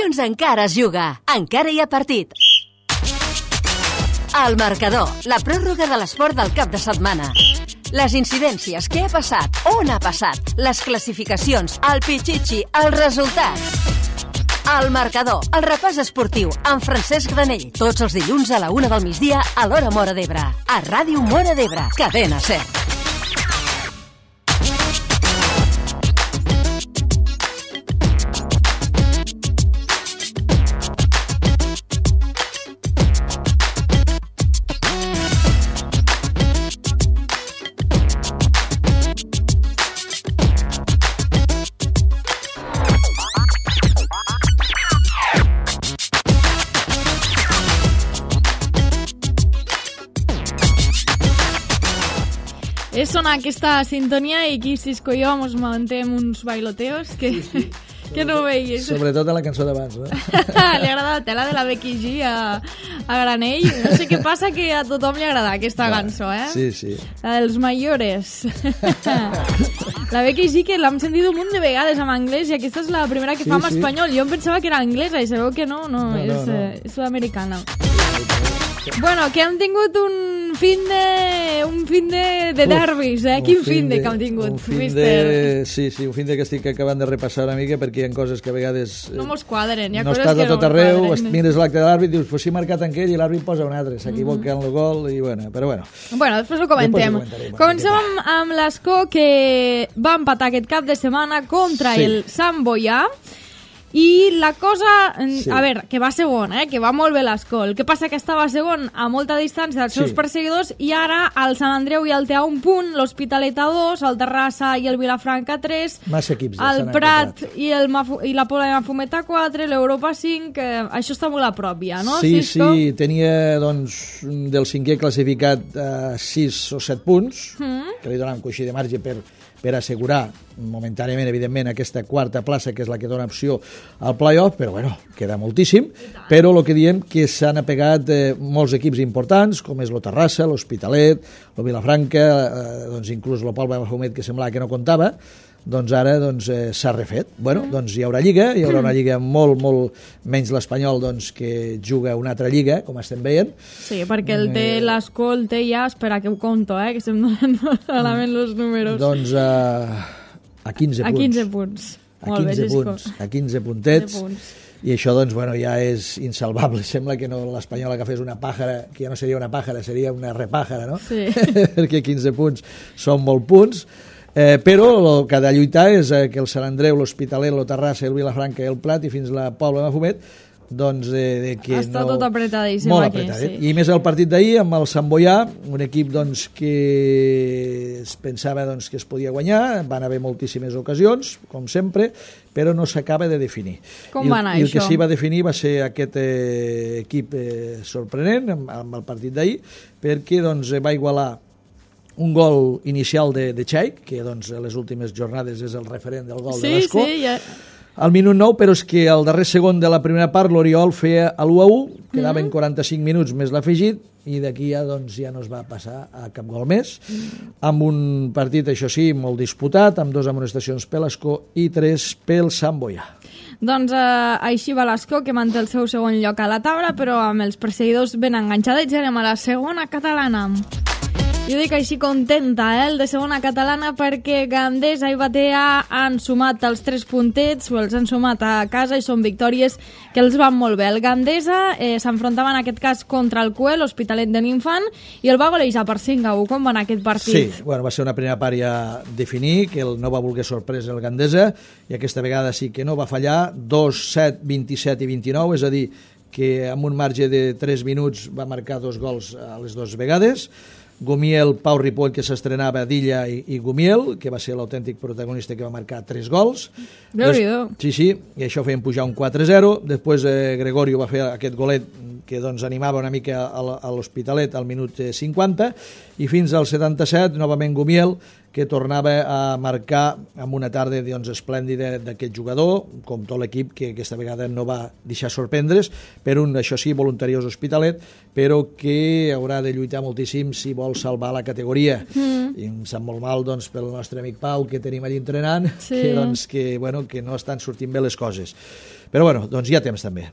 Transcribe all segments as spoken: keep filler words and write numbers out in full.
Dilluns encara es juga, encara hi ha partit. El marcador, la pròrroga de l'esport del cap de setmana. Les incidències, què ha passat, on ha passat, les classificacions, el pitxitxi, els resultats. El marcador, el repàs esportiu, amb Francesc Granell. Tots els dilluns a la una del migdia a l'hora Móra d'Ebre. A Ràdio Móra d'Ebre, Cadena SER. És sonar aquesta sintonia i aquí Cisco i jo ens mantêm uns bailoteos que, sí, sí. que no veies. Sobretot a la cançó d'abans, no? Li agrada la tela de la Becky G a, a Granell. No sé què passa, que a tothom li agrada aquesta Clar. cançó, eh? Sí, sí. La dels mayores. La Becky G, que l'hem sentit un munt de vegades en anglès i aquesta és la primera que sí, fa en sí. espanyol. Jo em pensava que era anglesa i sabeu que no, no, no, és, no, no. Eh, és sud-americana. Bueno, que hem tingut un fin de... un fin de, de derbis, eh? Quin fin de que hem tingut, un fin mister. de, sí, sí, un fin de que estic acabant de repassar una mica perquè hi ha coses que a vegades... No mos quadren, hi ha no coses estàs que a tot no arreu, quadren. mires l'acte de l'àrbit, dius, pues sí, marcat en aquell i l'àrbit posa un altre, s'equivoca en el gol i bueno, però bueno. Bueno, després ho comentem. Després ho Comencem amb, amb l'Escó, que va empatar aquest cap de setmana contra sí. el Sant Boià. I la cosa, sí. a veure, que va segon, eh? Que va molt bé l'Escó. El que passa que estava segon a molta distància dels seus sí. perseguidors i ara el Sant Andreu i el T A un punt, l'Hospitalet a dos, el Terrassa i el Vilafranca a tres, Massa equips, el Prat i, el Mafu i la Pobla de Mafumet a quatre, l'Europa cinc, eh, això està molt a prop ja, no? Sí, Cisco? sí, tenia doncs del cinquè classificat a sis o set punts, mm. que li donaven coixí de marge per per assegurar momentàniament, evidentment, aquesta quarta plaça, que és la que dona opció al play-off, però bueno, queda moltíssim, però el que diem que s'han apegat eh, molts equips importants, com és lo Terrassa, l'Hospitalet, lo Vilafranca, eh, doncs inclús lo Pobla de Mafumet, que semblava que no comptava, doncs ara doncs, eh, s'ha refet. Bueno, mm. doncs hi haurà lliga, hi haurà una lliga molt, molt menys l'Espanyol, doncs, que juga una altra lliga, com estem veient. Sí, perquè el té eh... l'Escó, el té ja, espera que ho conto, eh, que se'm donen malament els números. Doncs a, a quinze punts. A quinze punts. A Molt quinze bé, punts, a quinze puntets. punts. I això, doncs, bueno, ja és insalvable. Sembla que no l'Espanyol agafés una pàjara, que ja no seria una pàjara, seria una repàjara, no? Sí. Perquè quinze punts són molt punts. Eh, però el que ha de lluitar és eh, que el Sant Andreu, l'Hospitalet, el Terrassa, el Vilafranca i el Prat i fins la Pobla de Mafumet doncs eh, de que està no... tot apretadíssim molt aquí, apretat, sí. I més el partit d'ahir amb el Sant Boià, un equip doncs, que es pensava doncs, que es podia guanyar, van haver moltíssimes ocasions, com sempre, però no s'acaba de definir. Com I, va anar I el això? que sí va definir va ser aquest eh, equip eh, sorprenent amb, amb el partit d'ahir, perquè doncs, va igualar un gol inicial de, de Xaic, que doncs, a les últimes jornades és el referent del gol sí, de l'Escó. Sí, ja... Al minut nou, però és que al darrer segon de la primera part l'Oriol feia l'u a u, quedaven mm-hmm. quaranta-cinc minuts més l'afegit, i d'aquí ja, doncs, ja no es va passar a cap gol més, mm. amb un partit, això sí, molt disputat, amb dues amonestacions per l'Escó i tres pel Sant Boià. Doncs eh, així va l'Escó, que manté el seu segon lloc a la taula, però amb els perseguidors ben enganxadets. Anem a la segona catalana. Jo dic així contenta, eh, el de segona catalana, perquè Gandesa i Batea han sumat els tres puntets, o els han sumat a casa, i són victòries que els van molt bé. El Gandesa eh, s'enfrontava en aquest cas contra el Cue, l'Hospitalet de l'Infant, i el va golejar per cinc a u. Com va anar aquest partit? Sí, bueno, va ser una primera part ja definir, que el no va voler sorpresa el Gandesa, i aquesta vegada sí que no va fallar, dos, set, vint-i-set i vint-i-nou, és a dir, que amb un marge de tres minuts va marcar dos gols a les dues vegades. Gumiel, Pau Ripoll, que s'estrenava d'Illa, i, i Gumiel, que va ser l'autèntic protagonista, que va marcar tres gols. Déu-n'hi-do. Sí, sí, i això feien pujar un quatre a zero. Després eh, Gregorio va fer aquest golet que doncs, animava una mica a, a l'Hospitalet al minut cinquanta, i fins al setanta-set, novament Gumiel, que tornava a marcar amb una tarda doncs, esplèndida d'aquest jugador, com tot l'equip, que aquesta vegada no va deixar sorprendre's, per un, això sí, voluntariós Hospitalet, però que haurà de lluitar moltíssim si vol salvar la categoria. Mm. I em sap molt mal doncs, pel nostre amic Pau, que tenim allà entrenant, sí. que, doncs, que, bueno, que no estan sortint bé les coses. Però bueno, doncs hi ha temps també.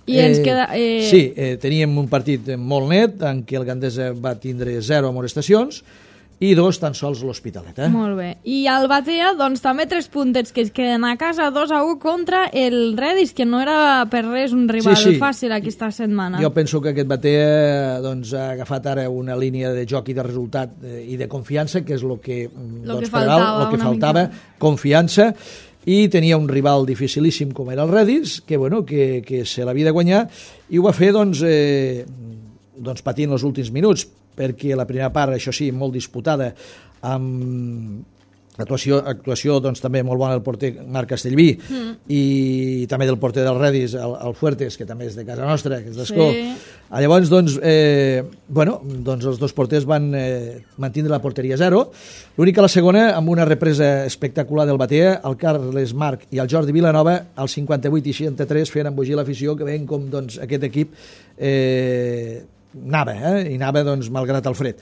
I ens queda... Eh... Sí, eh, teníem un partit molt net en què el Gandesa va tindre zero amonestacions i dos tan sols l'Hospitalet. Eh? Molt bé. I el Batea, doncs també tres puntets que es queden a casa, dos a u contra el Redis, que no era per res un rival sí, sí. fàcil aquesta setmana. Jo penso que aquest Batea doncs, ha agafat ara una línia de joc i de resultat eh, i de confiança, que és el que, lo doncs, que faltava, lo que faltava confiança, i tenia un rival dificilíssim com era el Redis, que, bueno, que, que se l'havia de guanyar, i ho va fer doncs, eh, doncs patint els últims minuts, perquè la primera part, això sí, molt disputada, amb actuació, actuació doncs, també molt bona del porter Marc Castellví mm. i també del porter del Redis, el, el Fuertes, que també és de casa nostra, que és d'Escó. Sí. Llavors, doncs, eh, bueno, doncs els dos porters van eh, mantindre la porteria zero. L'única a la segona, amb una represa espectacular del Batea, el Carles Marc i el Jordi Vilanova, al cinquanta-vuit i seixanta-tres, feien embogir l'afició, que veien com doncs, aquest equip eh, anava, eh? i anava doncs, malgrat el fred.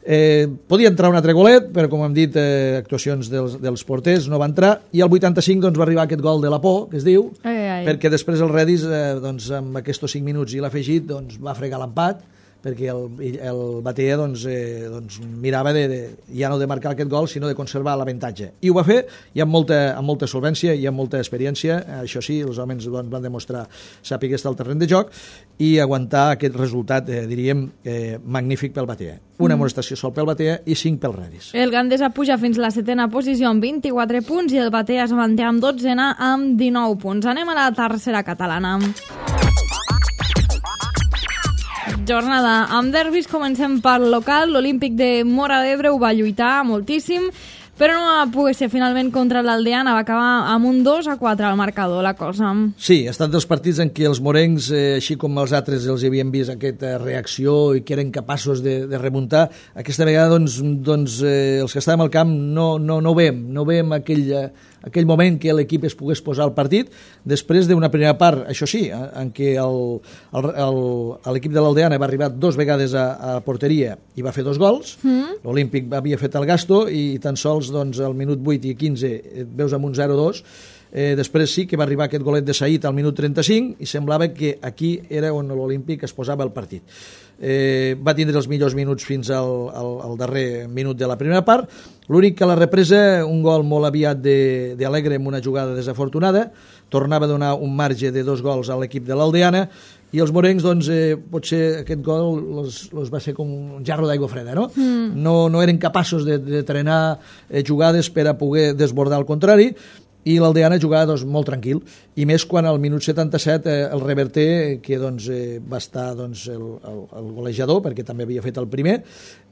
Eh, podia entrar un altre golet, però com hem dit, eh, actuacions dels, dels porters no va entrar, i al vuitanta-cinc doncs, va arribar aquest gol de la por, que es diu, ai, ai. perquè després el Redis, eh, doncs, amb aquests cinc minuts i l'afegit, doncs, va fregar l'empat, perquè el, el Batea doncs, eh, doncs, mirava de, de, ja no de marcar aquest gol, sinó de conservar l'avantatge. I ho va fer, i amb molta, amb molta solvència i amb molta experiència. Això sí, els homes doncs, van demostrar sàpiga estar al terreny de joc i aguantar aquest resultat, eh, diríem, eh, magnífic pel Batea. Una amonestació sol pel Batea i cinc pel Redis. El Gandesa puja fins la setena posició amb vint-i-quatre punts i el Batea es manté amb dotzena amb dinou punts. Anem a la tercera catalana. Jornada amb derbis, comencem per local. L'Olímpic de Móra d'Ebre ho va lluitar moltíssim, però no va poder ser finalment contra l'Aldeana, va acabar amb un dos a quatre al marcador la cosa. Sí, ha estat dels partits en què els morencs, eh, així com els altres, els havien vist aquesta reacció i que eren capaços de, de remuntar. Aquesta vegada doncs, doncs, eh, els que estàvem al camp no, no, no veiem, no veiem aquell, eh, aquell moment que l'equip es pogués posar al partit, després d'una primera part, això sí, en què l'equip de l'Aldeana va arribar dos vegades a, a porteria i va fer dos gols, mm. l'Olímpic havia fet el gasto i tan sols doncs, al minut vuit i quinze et veus amb un zero dos. Eh, després sí que va arribar aquest golet de Saïd al minut trenta-cinc i semblava que aquí era on l'Olímpic es posava el partit. Eh, va tindre els millors minuts fins al, al, al darrer minut de la primera part. L'únic que a la represa, un gol molt aviat d'Alegre amb una jugada desafortunada, tornava a donar un marge de dos gols a l'equip de l'Aldeana, i els morencs, doncs, eh, potser aquest gol los, los va ser com un jarro d'aigua freda, no? Mm. No, no eren capaços de, de trenar eh, jugades per a poder desbordar al contrari, i l'Aldeana jugava doncs, molt tranquil, i més quan al minut setanta-set eh, el Reverter, que doncs, eh, va estar doncs, el, el, el golejador, perquè també havia fet el primer,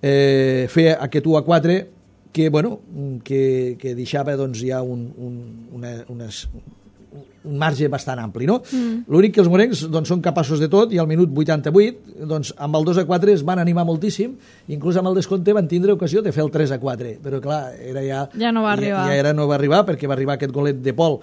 eh, feia aquest u a quatre que, bueno, que, que deixava doncs, ja un, un, una, unes, un marge bastant ampli, no? Mm. L'únic que els morencs doncs, són capaços de tot, i al minut vuitanta-vuit, doncs, amb el dos a quatre es van animar moltíssim, inclús amb el descompte van tindre ocasió de fer el tres a quatre, però clar, era ja, ja no va arribar, ja, ja era, no va arribar perquè va arribar aquest golet de Pol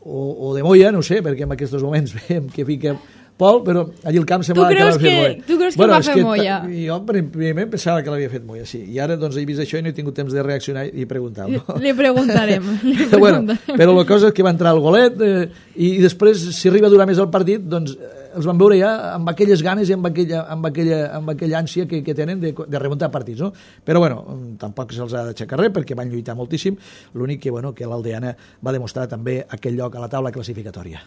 o, o de Moya, no sé, perquè en aquests moments veiem que fica Pol, però allí el camp semblava que l'havia fet Moya. Tu creus bueno, que va fer Moya? Jo primer pensava que l'havia fet Moya, sí. I ara doncs, he vist això i no he tingut temps de reaccionar i preguntar-lo. Li preguntarem. Li preguntarem. Bueno, però la cosa és que va entrar el golet eh, i, i després, si arriba a durar més el partit, doncs els van veure ja amb aquelles ganes i amb aquella, amb aquella, amb aquella ànsia que, que tenen de, de remuntar partits, no? Però bueno, tampoc se'ls ha d'aixecar res perquè van lluitar moltíssim. L'únic que, bueno, que l'Aldeana va demostrar també aquell lloc a la taula classificatòria.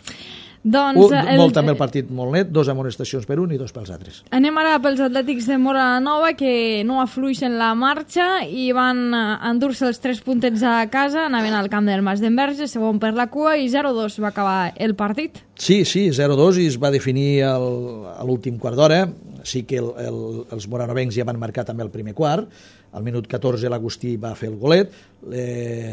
Doncs, un, el... Molt també el partit molt net, dos amonestacions per un i dos pels altres. Anem ara pels Atlètics de Móra la Nova, que no afluixen la marxa i van endur-se els tres puntets a casa, anaven al camp del Mas d'Enverge, segon per la cua, i zero dos va acabar el partit. Sí, sí, zero dos, i es va definir el, a l'últim quart d'hora. Sí que el, el, els moranovencs ja van marcar també el primer quart. Al minut catorze l'Agustí va fer el golet, eh,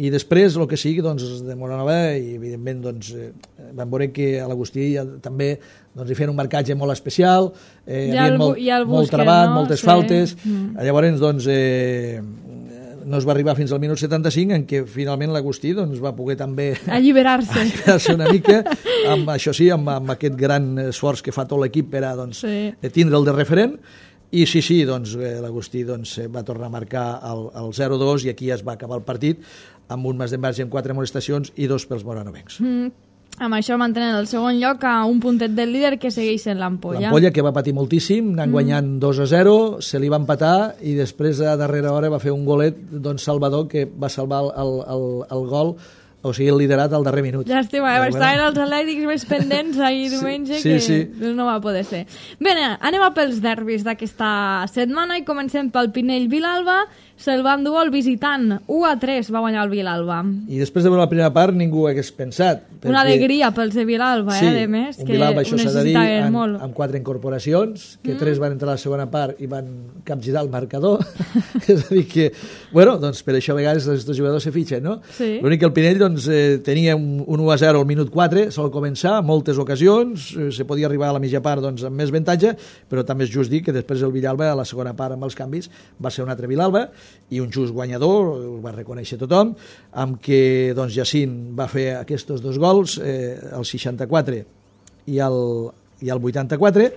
i després el que sigui, doncs, els de Moranova, i evidentment doncs, eh, van veure que a l'Agustí ja, també doncs, hi feien un marcatge molt especial, eh, hi havia molt, molt trebat, no? Moltes sí. faltes, mm. llavors doncs, eh, no es va arribar fins al minut setanta-cinc, en què finalment l'Agustí doncs, va poder també alliberar-se alliberar-se una mica, amb, això sí, amb, amb aquest gran esforç que fa tot l'equip per a doncs, sí. tindre el de referent. I sí, sí, doncs, l'Agustí doncs, va tornar a marcar el, el zero dos i aquí es va acabar el partit amb un Mas d'Enverge amb quatre amonestacions i dos pels moranovencs. Mm. Amb això mantenen el segon lloc a un puntet del líder que segueix en l'Ampolla. L'Ampolla, que va patir moltíssim, anant mm. guanyant dos a zero, se li va empatar i després a darrera hora va fer un golet doncs Salvador, que va salvar el, el, el, el gol, o sigui, el liderat al darrer minut. Llàstima, eh? Estaven els atlètics més pendents ahir diumenge sí, sí, que sí. no va poder ser. Bé, anem a pels derbis d'aquesta setmana i comencem pel Pinell-Vilalba. Se'l va endur el visitant, u a tres va guanyar el Vilalba. I després de veure la primera part ningú hagués pensat. Perquè... Una alegria pels de Vilalba, sí, eh, de més, un que Vilalba, ho necessitaven molt. Amb, amb quatre incorporacions, que mm. tres van entrar a la segona part i van capgirar el marcador. És a dir que, bueno, doncs per això a vegades els jugadors se fitxen, no? Sí. L'únic que el Pinell doncs, eh, tenia un, un u a zero al minut quatre, sol començar, moltes ocasions, eh, se podia arribar a la mitja part doncs, amb més avantatge, però també és just dir que després el Vilalba, a la segona part amb els canvis, va ser un altre Vilalba i un just guanyador, ho va reconèixer tothom, amb què doncs, Jacint va fer aquests dos gols, eh, el seixanta-quatre i el, i el vuitanta-quatre,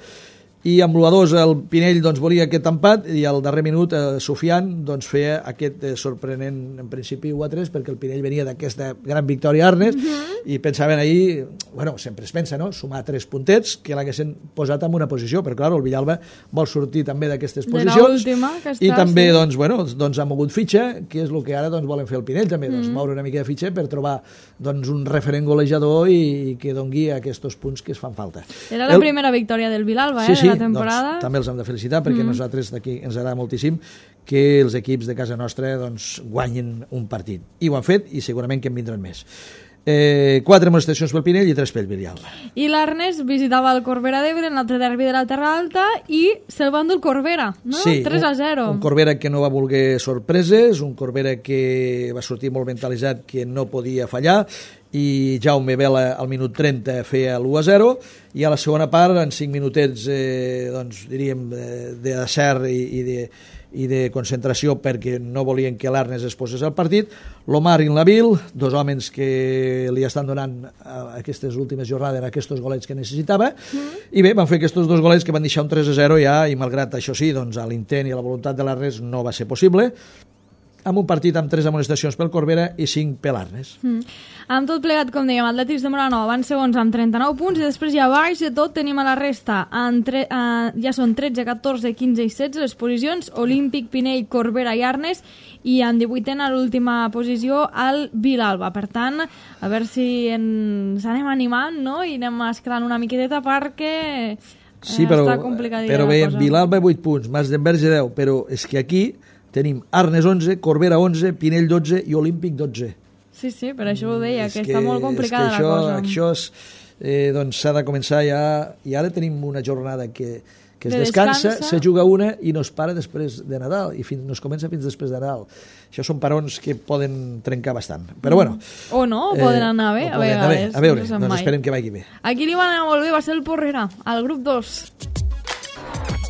i amb l'u a dos el Pinell doncs, volia aquest empat i al darrer minut eh, Sofian doncs, feia aquest eh, sorprenent en principi u a tres, perquè el Pinell venia d'aquesta gran victòria a Arnes uh -huh. i pensaven ahir, bueno, sempre es pensa, no?, sumar tres puntets que l'haguessin posat en una posició, però clar, el Villalba vol sortir també d'aquestes posicions i està, també, sí. doncs, bueno, doncs ha mogut fitxa, que és el que ara doncs, volen fer el Pinell també, doncs, uh -huh. moure una mica de fitxa per trobar doncs, un referent golejador i, i que dongui aquests punts que es fan falta. Era la el... primera victòria del Vilalba, sí, eh, sí. de la temporada. Doncs, també els hem de felicitar perquè mm. nosaltres d'aquí ens agrada moltíssim que els equips de casa nostra doncs, guanyin un partit. I ho han fet i segurament que en vindran més. Eh, quatre amonestacions pel Pinell i tres pel Villalba. I l'Arnes visitava el Corbera d'Ebre en l'altre derbi de la Terra Alta i se'l va endur el Corbera, no? Sí, tres a zero. Un, un Corbera que no va voler sorpreses, un Corbera que va sortir molt mentalitzat que no podia fallar, i Jaume Vela al minut trenta feia l'u a zero i a la segona part en cinc minutets eh, doncs diríem d'acert i, i de i de concentració perquè no volien que l'Arnes es posés al partit. L'Omar i l'Avil, dos homes que li estan donant a aquestes últimes jornades aquests golets que necessitava, mm. i bé, van fer aquests dos golets que van deixar un tres a zero ja, i malgrat això sí, doncs a l'intent i a la voluntat de l'Arnes no va ser possible, amb un partit amb tres amonestacions pel Corbera i cinc per l'Arnes. Mm. Amb tot plegat, com dèiem, Atlètics de Moranova van segons amb trenta-nou punts i després ja baix de tot tenim a la resta tre uh, ja són tretze, catorze, quinze i setze les posicions, Olímpic, Pinell, Corbera i Arnes, i en divuitena a l'última posició el Vilalba. Per tant, a veure si ens anem animant, no?, i anem escalant una miqueteta perquè sí, però, està complicadilla però bé, Vilalba vuit punts, Mas d'Enverge deu, però és que aquí tenim Arnes onze, Corbera onze, Pinell dotze i Olímpic dotze. Sí, sí, per això ho deia, que, que està molt complicada això, la cosa. Això és, eh, doncs s'ha de començar ja, i ara tenim una jornada que, que es de descansa, descansa, se juga una i no es para després de Nadal, i fins, no es comença fins després de Nadal. Això són parons que poden trencar bastant, però bueno. O no, o poden anar bé, eh, a vegades. A veure, no doncs esperem que vagi bé. Aquí li van anar molt bé, va ser el Porrera, al grup dos.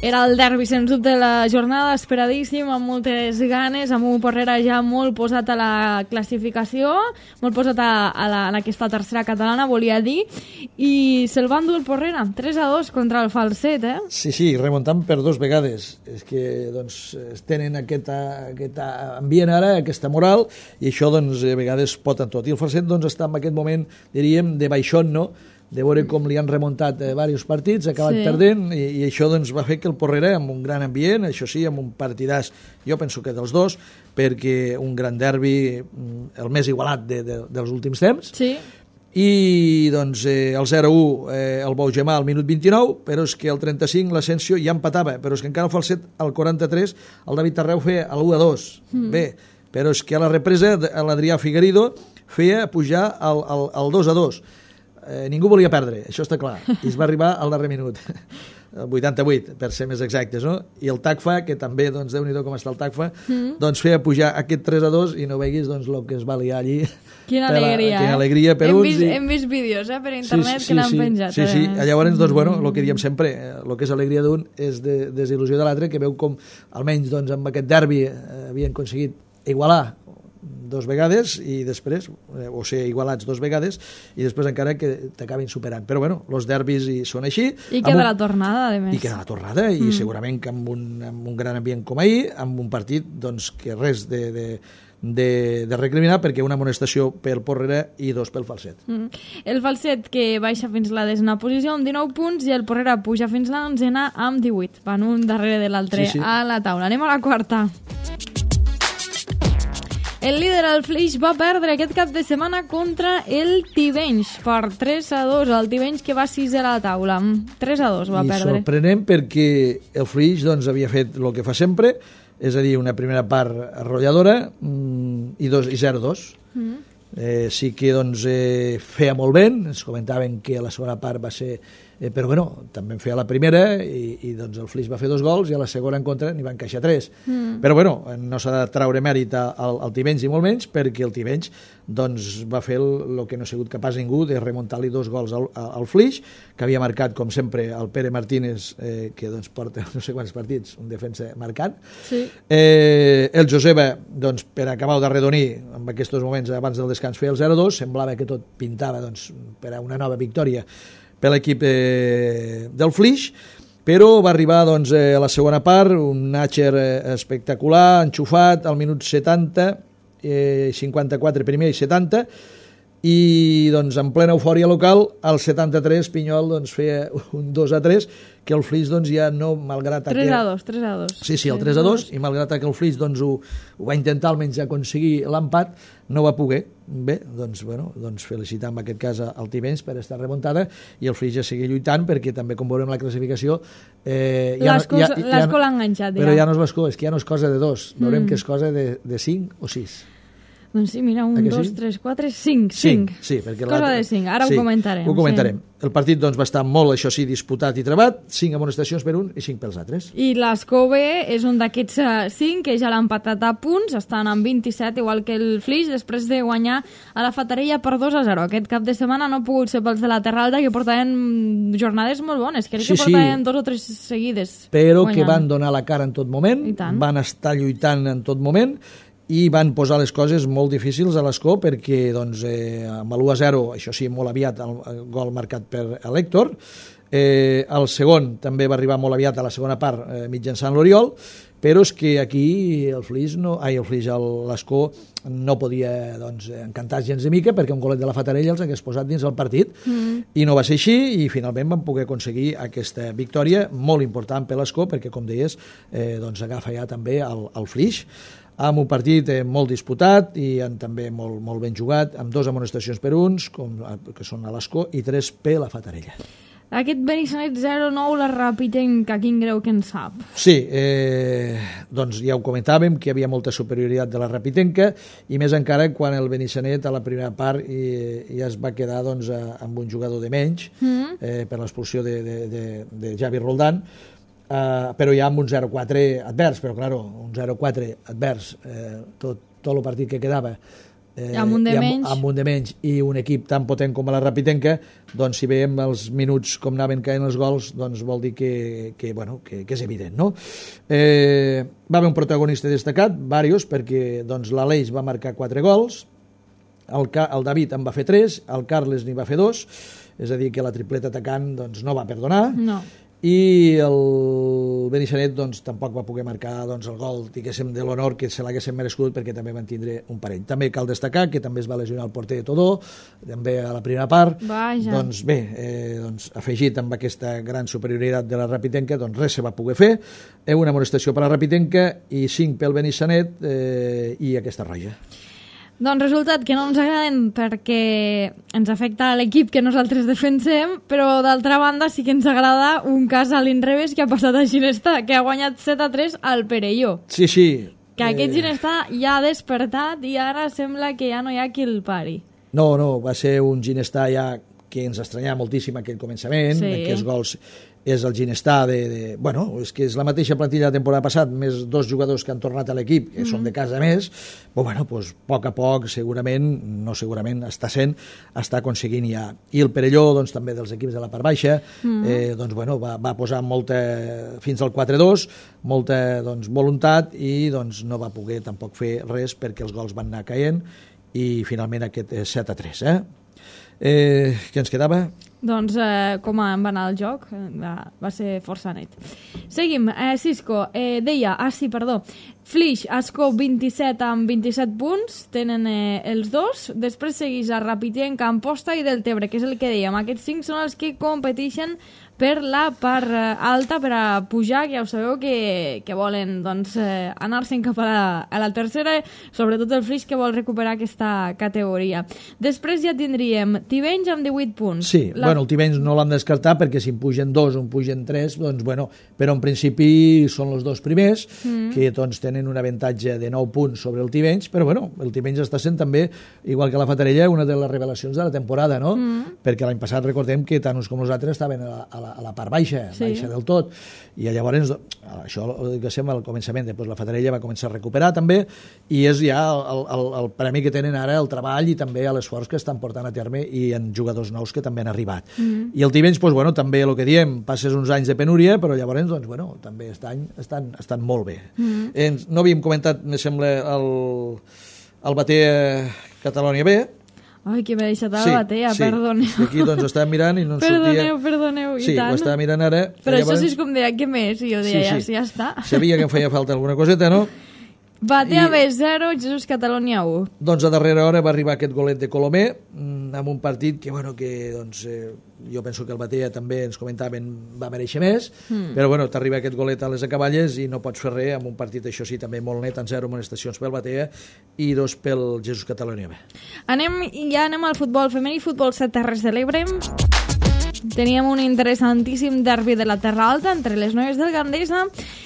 Era el derbi, sens dubte, de la jornada, esperadíssim, amb moltes ganes, amb un Porrera ja molt posat a la classificació, molt posat a, a, la, a aquesta tercera catalana, volia dir, i se'l va endur el Porrera, tres a dos contra el Falset, eh? Sí, sí, remuntant per dos vegades. És que, doncs, tenen aquest, aquest ambient ara, aquesta moral, i això, doncs, a vegades pot en tot. I el Falset, doncs, està en aquest moment, diríem, de baixón, no?, de veure com li han remuntat eh, diversos partits, ha acabat sí. perdent, i, i això doncs, va fer que el Porrera, amb un gran ambient, això sí, amb un partidàs, jo penso que dels dos, perquè un gran derbi, el més igualat de, de, dels últims temps, sí. i doncs eh, el zero a u eh, el Baugemà al minut vint-i-nou, però és que el trenta-cinc l'Asensio ja empatava, però és que encara el Falset al quaranta-tres el David Tarreu feia l'u a dos. Mm. Bé, però és que a la represa l'Adrià Figueredo feia pujar al, al, al dos a dos. Eh, ningú volia perdre, això està clar, i es va arribar al darrer minut, el vuitanta-vuit, per ser més exactes, no? I el Tacfa, que també, doncs, Déu-n'hi-do com està el Tacfa, mm. doncs feia pujar aquest tres a dos i no veguis, doncs, el que es va liar allí. Quina alegria, la, quina eh? alegria per hem uns. Vist, I... Hem vist vídeos, eh, per internet, sí, sí, que l'han sí, penjat. Sí, sí, eh? llavors, doncs, bueno, el que diem sempre, el que és alegria d'un és de, desil·lusió de l'altre, que veu com, almenys, doncs, amb aquest derbi eh, havien aconseguit igualar dos vegades i després, eh, o sigui, igualats dos vegades i després encara que t'acabin superant. Però bueno, els derbis hi són així. I queda un... la tornada, a més. I queda la tornada, mm. i segurament que amb un, amb un gran ambient com ahir, amb un partit doncs, que res de, de, de, de recriminar perquè una amonestació pel Porrera i dos pel Falset. Mm. El Falset que baixa fins la desena posició amb dinou punts i el Porrera puja fins la onzena amb divuit. Van un darrere de l'altre sí, sí. a la taula. Anem a la quarta. El líder, el Flix, va perdre aquest cap de setmana contra el Tivenys per tres a dos. El Tivenys que va sisè a la taula. tres a dos va I perdre. I sorprenent perquè el Flix doncs, havia fet el que fa sempre, és a dir, una primera part arrolladora mmm, i, dos, i zero dos. Mm. Eh, sí que doncs, eh, feia molt bé, ens comentaven que la segona part va ser... Eh, però bueno, també en feia la primera i, i doncs el Flix va fer dos gols i a la segona en contra n'hi va encaixar tres. Mm. Però bueno, no s'ha de traure mèrit al, al Tivenys i molt menys perquè el Tivenys doncs, va fer el, el que no ha sigut capaç ningú de remuntar-li dos gols al, al Flix, que havia marcat com sempre el Pere Martínez, eh, que doncs, porta no sé quants partits, un defensa marcant. Sí. Eh, el Joseba, doncs, per acabar d'arredonir en aquests moments abans del descans feia el zero dos, semblava que tot pintava doncs, per a una nova victòria per l'equip eh, del Flix, però va arribar doncs, eh, a la segona part, un Natcher eh, espectacular, enxufat al minut setanta, eh, cinquanta-quatre primer i setanta, i doncs, en plena eufòria local, al setanta-tres Pinyol doncs, feia un dos a tres, que el Flix doncs, ja no, malgrat... tres a dos, tres a dos. Sí, sí, el tres a dos, i malgrat que el Flix doncs, ho, ho va intentar almenys aconseguir l'empat, no va poder. Bé, doncs, bueno, doncs felicitar en aquest cas al Tivenys per estar remuntada i el Flix ja seguir lluitant perquè també, com veurem la classificació... Eh, ja L'esco ja, ja, ja, l'ha enganxat, ja. Però ja no és l'esco, és que ja no és cosa de dos. Veurem mm. que és cosa de, de cinc o sis. Doncs sí, mira, un, dos, sí? tres, quatre, cinc. Cinc, sí. Perquè cosa de cinc, ara sí, ho comentarem. Ho comentarem. Sí. El partit doncs, va estar molt, això sí, disputat i trebat, cinc amonestacions per un i cinc pels altres. I l'Escove és un d'aquests cinc que ja l'han empatat a punts, estan amb vint-i-set, igual que el Flix, després de guanyar a la Fatarella per dos a zero. Aquest cap de setmana no ha pogut ser pels de la Terra Alta, que portaven jornades molt bones, crec sí, que portaven sí. dos o tres seguides. Però guanyant. Que van donar la cara en tot moment, van estar lluitant en tot moment, i van posar les coses molt difícils a l'Escó perquè doncs, eh, amb l'u a zero, això sí, molt aviat el, el gol marcat per l'Héctor, eh, el segon també va arribar molt aviat a la segona part eh, mitjançant l'Oriol, però és que aquí el Flix, no, ai, el Flix, l'Escó no podia doncs, encantar gens de mica perquè un golet de la Fatarella els hagués posat dins el partit mm. i no va ser així i finalment van poder aconseguir aquesta victòria molt important per l'Escó perquè, com deies, eh, doncs agafa ja també el, el Flix amb un partit eh, molt disputat i en, també molt, molt ben jugat, amb dos amonestacions per uns, com, que són a l'Escó, i tres per la Fatarella. Aquest Benissanet zero nou, la Rapitenca, quin greu que en sap? Sí, eh, doncs ja ho comentàvem, que hi havia molta superioritat de la Rapitenca, i més encara quan el Benissanet a la primera part i, ja es va quedar doncs, amb un jugador de menys, mm. eh, per l'expulsió de, de, de, de Javi Roldán, Uh, però ja amb un zero quatre advers, però claro, un zero quatre advers, eh, tot, tot el partit que quedava eh, amb un de amb, menys amb un de menys i un equip tan potent com la Rapitenca, doncs si veiem els minuts com anaven caient els gols, doncs vol dir que, que, bueno, que, que és evident, no? Eh, va haver un protagonista destacat, varios, perquè doncs, l'Aleix va marcar quatre gols, el, el David en va fer tres, el Carles n'hi va fer dos, és a dir, que la tripleta atacant doncs, no va perdonar, no. I el Benissanet doncs, tampoc va poder marcar doncs, el gol diguéssim, de l'honor que se l'haguessin merescut perquè també van tindre un parell. També cal destacar que també es va lesionar el porter de Todó, també a la primera part. Vaja. Doncs bé, eh, doncs, afegit amb aquesta gran superioritat de la Rapitenca, doncs res se va poder fer. Eh, una amonestació per la Rapitenca i cinc pel Benissanet eh, i aquesta roja. Doncs resultat que no ens agraden perquè ens afecta a l'equip que nosaltres defensem, però d'altra banda sí que ens agrada un cas a l'inrevés que ha passat a Ginestà, que ha guanyat set a tres al Perelló. Sí, sí. Que aquest eh... Ginestà ja ha despertat i ara sembla que ja no hi ha qui el pari. No, no, va ser un Ginestà ja que ens estranyava moltíssim aquell començament, sí. Aquests gols és el Ginestà de, de... Bueno, és que és la mateixa plantilla de la temporada passada, més dos jugadors que han tornat a l'equip, que mm-hmm. són de casa més, però bueno, pues, a poc a poc, segurament, no segurament, està sent, està aconseguint ja. I el Perelló, doncs, també dels equips de la part baixa, mm-hmm. eh, doncs, bueno, va, va posar molta, fins al quatre dos, molta doncs, voluntat i doncs, no va poder tampoc fer res perquè els gols van anar caient i finalment aquest set a tres, eh? Eh, què ens quedava? Doncs eh, com va anar el joc, va, va ser força net. Seguim, eh, Cisco, eh, deia, ah sí, perdó, Flix, Ascó, vint-i-set amb vint-i-set punts, tenen eh, els dos. Després segueix a Rapitient, Amposta i Deltebre, que és el que dèiem. Aquests cinc són els que competeixen per la part alta, per a pujar, que ja ho sabeu que, que volen doncs, eh, anar-se'n cap a la, a la tercera, sobretot el Flix, que vol recuperar aquesta categoria. Després ja tindríem Tivenys amb divuit punts. Sí, la... bueno, el Tivenys no l'han descartat perquè si en pugen dos o en pugen tres, doncs bueno, però en principi són els dos primers, mm. que doncs tenen un avantatge de nou punts sobre el Tivenys, però bueno, el Tivenys està sent també, igual que la Fatarella, una de les revelacions de la temporada, no? Mm. Perquè l'any passat recordem que tant uns com nosaltres estaven a la, a la, a la part baixa, sí. baixa del tot, i llavors això que sembla al començament, després la Fatarella va començar a recuperar també, i és ja el, el, el premi que tenen ara, el treball i també l'esforç que estan portant a terme i en jugadors nous que també han arribat. Mm. I el Tivenys, doncs, bueno, també el que diem, passes uns anys de penúria, però llavors, doncs, bueno, també estan, estan, estan molt bé. Mm. Eh, no havíem comentat, me sembla, el, el Batea Catalonia B. Ai, que m'he deixat a la sí, Batea, sí. Perdoneu. Sí, aquí doncs estàvem mirant i no ens perdoneu, sortia... Perdoneu, perdoneu, i sí, tant. Sí, ho estava mirant ara. Però llavors... això sí és com deia, què més? I jo deia, sí, sí. ja, ja està. Sabia que em feia falta alguna coseta, no? Batea B zero, Jesús Catalonia u. Doncs a darrera hora va arribar aquest golet de Colomer amb un partit que, bueno, que doncs, eh, jo penso que el Batea també ens comentaven va mereixer més, mm. però bueno, t'arriba aquest golet a les acaballes i no pots fer res amb un partit, això sí, també molt net, en zero amonestacions pel Batea i dos pel Jesús Catalonia B. Anem, ja anem al futbol femení, futbol set Terres de l'Ebre. Teníem un interessantíssim derbi de la Terra Alta entre les noies del Gandesa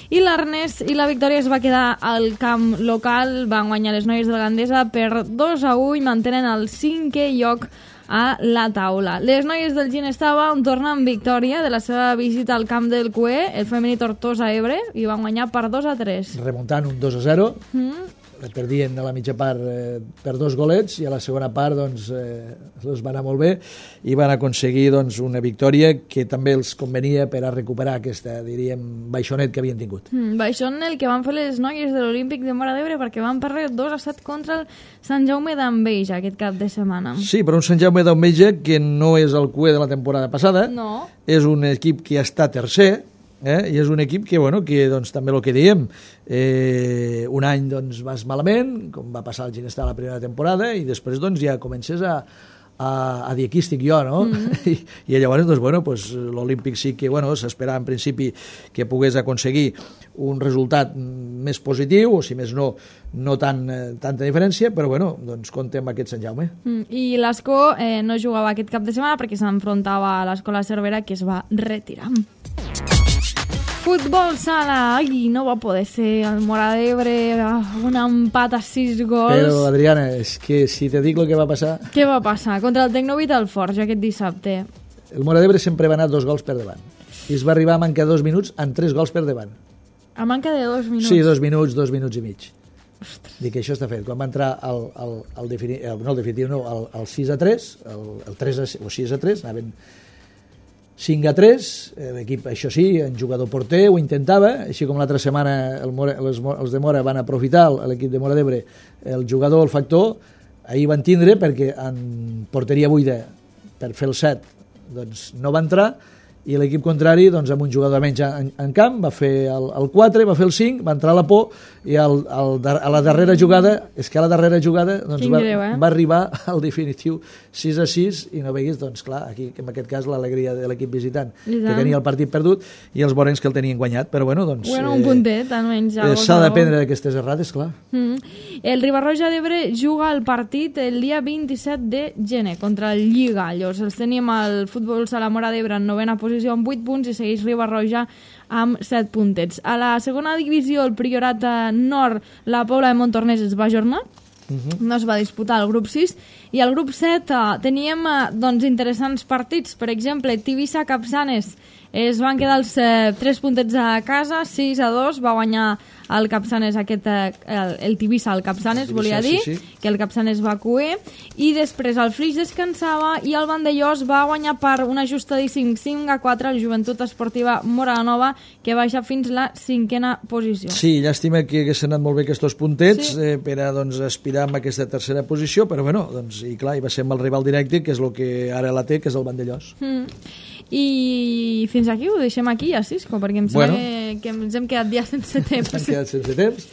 i l'Arnès, i la victòria es va quedar al camp local. Van guanyar les noies del Gandesa per dos a u i mantenen el cinquè lloc a la taula. Les noies del Ginestava tornen victòria de la seva visita al camp del Cué, el femení Tortosa Ebre, i van guanyar per dos a tres. Remuntant un dos a zero. Mm. Perdien a la mitja part eh, per dos golets i a la segona part doncs, eh, els va anar molt bé i van aconseguir doncs, una victòria que també els convenia per a recuperar aquesta, diríem, baixonet que havien tingut. Mm, baixón el que van fer les noies de l'Olímpic de Móra d'Ebre perquè van perdre dos a set contra el Sant Jaume d'Enveja aquest cap de setmana. Sí, però un Sant Jaume d'Enveja que no és el cué de la temporada passada, no. És un equip que està tercer, Eh? i és un equip que, bueno, que doncs, també el que diem, eh, un any doncs, vas malament, com va passar al Ginestà la primera temporada, i després doncs, ja comences a, a, a dir aquí estic jo, no? Mm. I, i llavors doncs, bueno, pues, l'Olímpic sí que bueno, s'esperava en principi que pogués aconseguir un resultat més positiu, o si més no, no tan, eh, tanta diferència, però bueno, doncs compte amb aquest Sant Jaume. Mm. I l'Escó eh, no jugava aquest cap de setmana perquè s'enfrontava a l'Escola Cervera, que es va retirar. Futbol sala, ai, no va poder ser el Móra d'Ebre, un empat a sis gols. Però, Adriana, és que si te dic el que va passar... Què va passar? Contra el Tecnovit al Forja aquest dissabte. El Móra d'Ebre sempre va anar dos gols per davant. I es va arribar a mancar dos minuts amb tres gols per davant. A manca de dos minuts? Sí, dos minuts, dos minuts i mig. Ostres. Dic que això està fet. Quan va entrar el, el, el, defini... el, no el definitiu, no, el, el sis a tres, el, el tres a, o sis a tres, anaven cinc a tres, l'equip, això sí, en jugador porter ho intentava, així com l'altra setmana el Mora, els, els de Mora van aprofitar, l'equip de Móra d'Ebre, el jugador, el factor, ahir van tindre perquè en porteria buida per fer el set doncs no va entrar, i l'equip contrari, doncs, amb un jugador menys en, en camp, va fer el, el quatre, va fer el cinc, va entrar a la por, i el, el, a la darrera jugada, és que a la darrera jugada doncs, va, greu, eh? va arribar al definitiu sis a sis, i no veguis, doncs clar, aquí en aquest cas l'alegria de l'equip visitant, que tenia el partit perdut, i els borens que el tenien guanyat, però bueno, doncs... Bueno, un puntet, almenys. Eh, S'ha d'aprendre d'aquestes errades, clar. Mm. El Ribarroja d'Ebre juga el partit el dia vint-i-set de gener contra el Lligallos. Els tenim al futbol sala Móra d'Ebre en novena posició amb vuit punts i segueix Ribarroja amb set puntets. A la segona divisió, el Priorat Nord, la Pobla de Montornès es va ajornar, uh-huh. no es va disputar el grup sis, i al grup set eh, teníem eh, doncs, interessants partits. Per exemple, Tivissa-Capçanes es van quedar els eh, tres puntets a casa, sis a dos, va guanyar el Capçanes, aquest, eh, el, el Tivissa al Capçanes, Tivissa, volia dir, sí, sí. que el Capçanes va cuer, i després el Flix descansava i el Vandellós va guanyar per un ajustadíssim cinc a quatre el Joventut Esportiva Móra Nova, que baixa fins la cinquena posició. Sí, llàstima que haguessin anat molt bé aquests puntets, sí. eh, per a doncs, aspirar amb aquesta tercera posició, però bueno, doncs, i clar, i va ser amb el rival directe, que és el que ara la té, que és el Vandellós. Mm. I fins aquí ho deixem aquí, ja, Cisco, perquè em sembla bueno. que, que ens hem quedat ja sense temps. Ens hem quedat sense temps.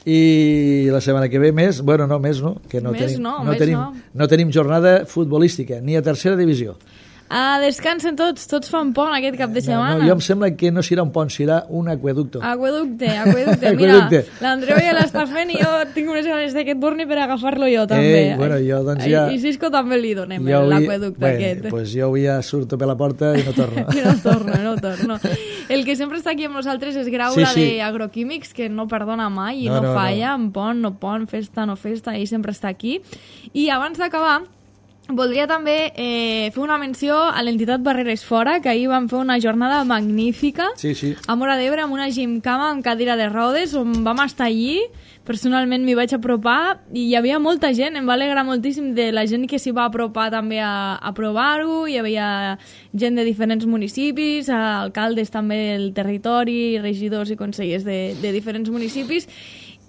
i la setmana que ve més, bueno, no, més no, que no Més tenim, no, no, més tenim, no. no tenim jornada futbolística, ni a tercera divisió. Ah, descansen tots, tots fan pont aquest cap de setmana. No, no, jo em sembla que no serà un pont, serà un aqueducto. Aqueducte, aqueducte. Mira, Aqueducte. l'Andreu ja l'està fent i jo tinc unes ganes d'aquest borni per agafar-lo jo també. Eh, bueno, jo doncs ja... I Cisco també li donem jo l'aqueducte bueno, aquest. Pues jo avui ja surto per la porta i no torno. I no torno, no torno. El que sempre està aquí amb nosaltres és Graula Sí, sí. d'Agroquímics, que no perdona mai i No, no, no, falla, en pont, no pont, festa, no festa, ell sempre està aquí. I abans d'acabar, voldria també eh, fer una menció a l'entitat Barreres Fora, que ahir van fer una jornada magnífica Sí, sí. a Móra d'Ebre amb una gimcama amb cadira de rodes, on vam estar allí. Personalment m'hi vaig apropar i hi havia molta gent, em va alegrar moltíssim de la gent que s'hi va apropar també a, a provar-ho. Hi havia gent de diferents municipis, alcaldes també del territori, regidors i consellers de, de diferents municipis,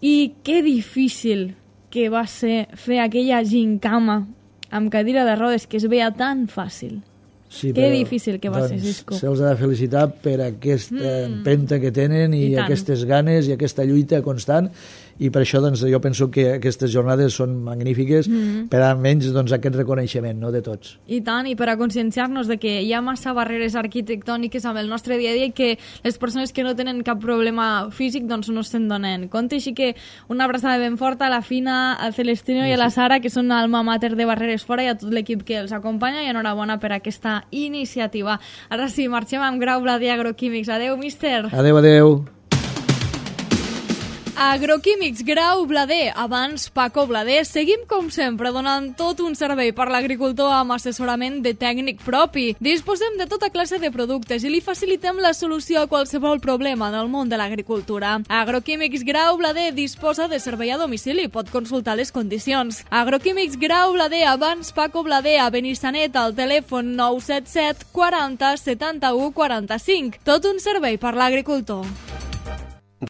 i que difícil que va ser fer aquella gimcama amb cadira de rodes, que es veia tan fàcil. Sí, que però, difícil que va doncs, ser, Cisco. Se'ls ha de felicitar per aquesta mm. empenta que tenen i, I tant. aquestes ganes i aquesta lluita constant, i per això doncs, jo penso que aquestes jornades són magnífiques mm. per almenys doncs, aquest reconeixement, no, de tots. I tant, i per a conscienciar-nos de que hi ha massa barreres arquitectòniques amb el nostre dia a dia i que les persones que no tenen cap problema físic doncs no se'n donen compte. Així que una abraçada ben forta a la Fina, al Celestino i a la Sara, que són alma mater de Barreres Fora, i a tot l'equip que els acompanya, i enhorabona per aquesta iniciativa. Ara sí, marxem amb Graula d'Agroquímics. Adeu, míster! Adeu, adeu! Agroquímics Grau Blader, abans Paco Blader. Seguim, com sempre, donant tot un servei per l'agricultor amb assessorament de tècnic propi. Disposem de tota classe de productes i li facilitem la solució a qualsevol problema en el món de l'agricultura. Agroquímics Grau Blader disposa de servei a domicili. Pot consultar les condicions. Agroquímics Grau Blader, abans Paco Blader, a Benissanet, al telèfon nou set set quaranta setanta-u quaranta-cinc. Tot un servei per l'agricultor.